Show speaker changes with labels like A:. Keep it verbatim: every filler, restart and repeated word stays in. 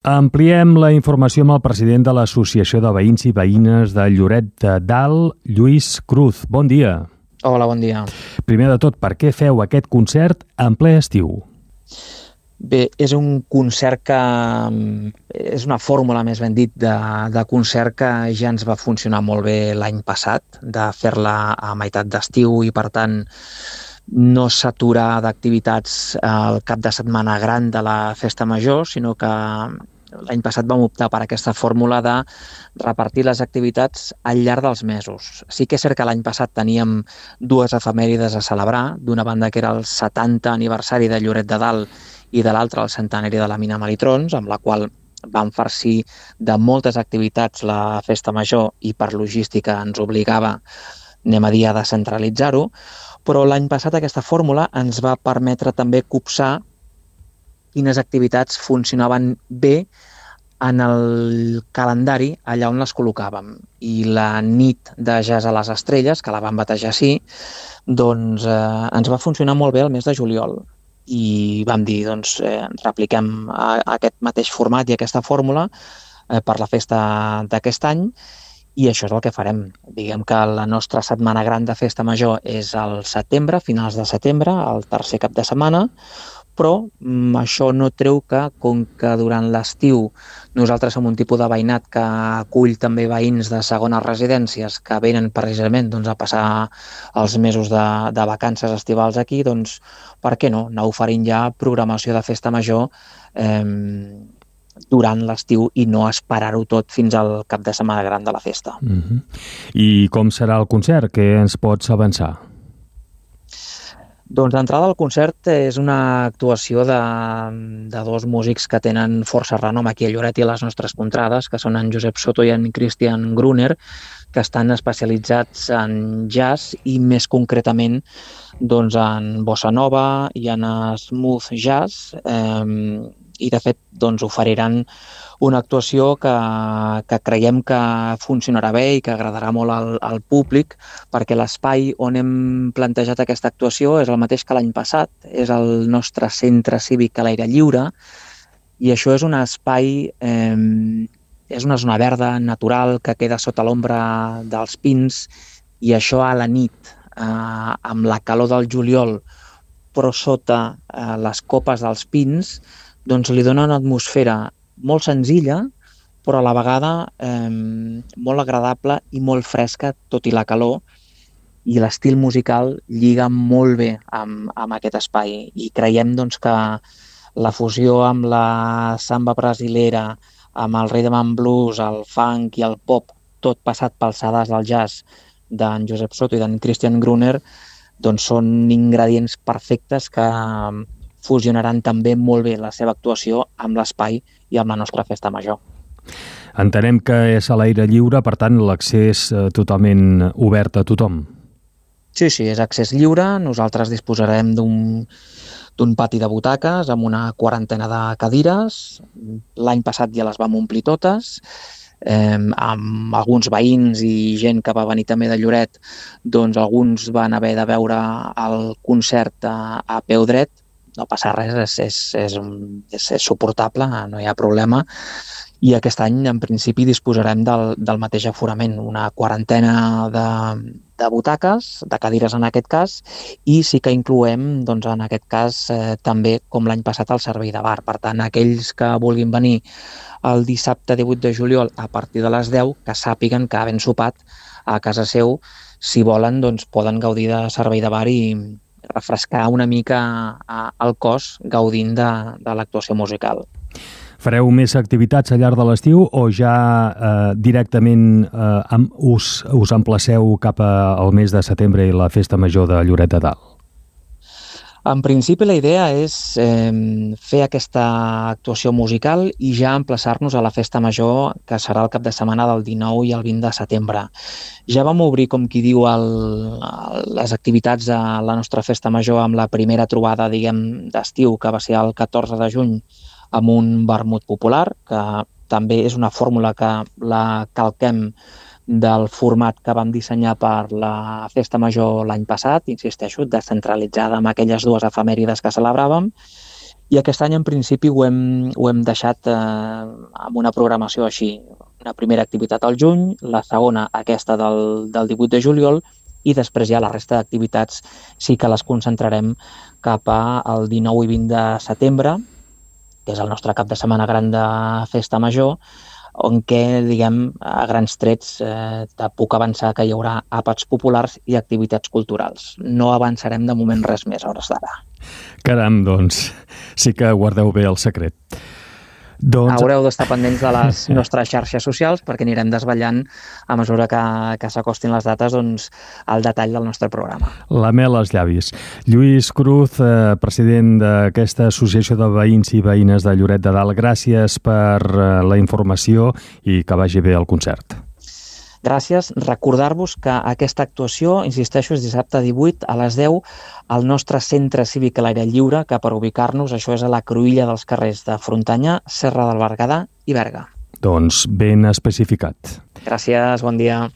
A: Ampliem la informació amb el president de l'Associació de Veïns i Veïnes de Lloret de Dalt, Lluís Cruz. Bon dia.
B: Hola, bon dia.
A: Primer de tot, per què feu aquest concert en ple estiu?
B: Bé, és un concert que... és una fórmula, més ben dit, de, de concert que ja ens va funcionar molt bé l'any passat, de fer-la a meitat d'estiu i, per tant, no s'aturar d'activitats al cap de setmana gran de la Festa Major, sinó que l'any passat vam optar per aquesta fórmula de repartir les activitats al llarg dels mesos. Sí que és cert que l'any passat teníem dues efemèrides a celebrar, d'una banda que era el setanta aniversari de Lloret de Dalt i de l'altra el centenari de la mina Melitrons, amb la qual vam farcir de moltes activitats la Festa Major i per logística ens obligava, anem a dir, a descentralitzar-ho, però l'any passat aquesta fórmula ens va permetre també copsar quines activitats funcionaven bé en el calendari allà on les col·locàvem. I la nit de Jazz a les Estrelles, que la vam batejar així, doncs eh, ens va funcionar molt bé el mes de juliol. I vam dir, doncs, eh, repliquem a, a aquest mateix format i aquesta fórmula eh, per la festa d'aquest any, i això és el que farem. Diguem que la nostra setmana gran de Festa Major és al setembre, finals de setembre, el tercer cap de setmana, però mm, això no treu que, com que durant l'estiu nosaltres som un tipus de veïnat que acull també veïns de segones residències que venen precisament doncs, a passar els mesos de, de vacances estivals aquí, doncs per què no? Anar oferint ja programació de Festa Major eh, durant l'estiu i no esperar-ho tot fins al cap de setmana gran de la festa.
A: Uh-huh. I com serà el concert? Què ens pots avançar?
B: Doncs d'entrada el concert és una actuació de, de dos músics que tenen força renom aquí a Lloret i a les nostres contrades, que són en Josep Soto i en Christian Gruner, que estan especialitzats en jazz i més concretament doncs, en bossa nova i en smooth jazz, eh, i de fet doncs, oferiran una actuació que, que creiem que funcionarà bé i que agradarà molt al, al públic, perquè l'espai on hem plantejat aquesta actuació és el mateix que l'any passat, és el nostre centre cívic a l'aire lliure, i això és un espai, eh, és una zona verda natural que queda sota l'ombra dels pins, i això a la nit, eh, amb la calor del juliol, però sota eh, les copes dels pins, doncs li dona una atmosfera molt senzilla, però a la vegada eh, molt agradable i molt fresca, tot i la calor, i l'estil musical lliga molt bé amb, amb aquest espai. I creiem doncs, que la fusió amb la samba brasilera, amb el rhythm and blues, el funk i el pop, tot passat pels sedars del jazz d'en Josep Soto i d'en Christian Gruner, doncs són ingredients perfectes que fusionaran també molt bé la seva actuació amb l'espai i amb la nostra Festa Major.
A: Entenem que és a l'aire lliure, per tant l'accés totalment obert a tothom.
B: Sí, sí, és accés lliure. Nosaltres disposarem d'un d'un pati de butaques amb una quarantena de cadires. L'any passat ja les vam omplir totes, eh, amb alguns veïns i gent que va venir també de Lloret, doncs alguns van haver de veure el concert a, a peu dret. No passa res, és, és, és, és, és suportable, no hi ha problema. I aquest any, en principi, disposarem del, del mateix aforament, una quarantena de, de butaques, de cadires en aquest cas, i sí que incloem, doncs, en aquest cas, eh, també, com l'any passat, el servei de bar. Per tant, aquells que vulguin venir el dissabte divuit de juliol a partir de les deu, que sàpiguen que havent sopat a casa seu, si volen, doncs, poden gaudir de servei de bar i refrescar una mica el cos gaudint de, de l'actuació musical.
A: Fareu més activitats al llarg de l'estiu o ja eh, directament eh, us, us emplaceu cap al mes de setembre i la Festa Major de Lloret de Dalt?
B: En principi la idea és eh, fer aquesta actuació musical i ja emplaçar-nos a la Festa Major, que serà el cap de setmana del dinou i el vint de setembre. Ja vam obrir, com qui diu, el, les activitats de la nostra Festa Major amb la primera trobada, diguem, d'estiu, que va ser el catorze de juny, amb un vermut popular, que també és una fórmula que la calquem del format que vam dissenyar per la Festa Major l'any passat, insisteixo, descentralitzada amb aquelles dues efemèrides que celebràvem, I aquest any, en principi, ho hem, ho hem deixat eh, amb una programació així. Una primera activitat al juny, la segona aquesta del, del divuit de juliol, i després ja la resta d'activitats sí que les concentrarem cap al dinou i vint de setembre, que és el nostre cap de setmana gran de Festa Major, on què, diguem, a grans trets eh, te puc avançar que hi haurà àpats populars i activitats culturals. No avançarem de moment res més a hores d'ara.
A: Caram, doncs, sí que guardeu bé el secret. Doncs...
B: Haureu d'estar pendents de les nostres xarxes socials perquè anirem desvetllant a mesura que, que s'acostin les dates doncs, el detall del nostre programa.
A: La mel als llavis. Lluís Cruz, eh, president d'aquesta associació de veïns i veïnes de Lloret de Dalt, gràcies per eh, la informació i que vagi bé el concert.
B: Gràcies. Recordar-vos que aquesta actuació, insisteixo, és dissabte divuit a les deu al nostre centre cívic a l'aire lliure, que per ubicar-nos, això és a la cruïlla dels carrers de Frontanyà, Serra del Berguedà i Berga.
A: Doncs ben especificat.
B: Gràcies, bon dia.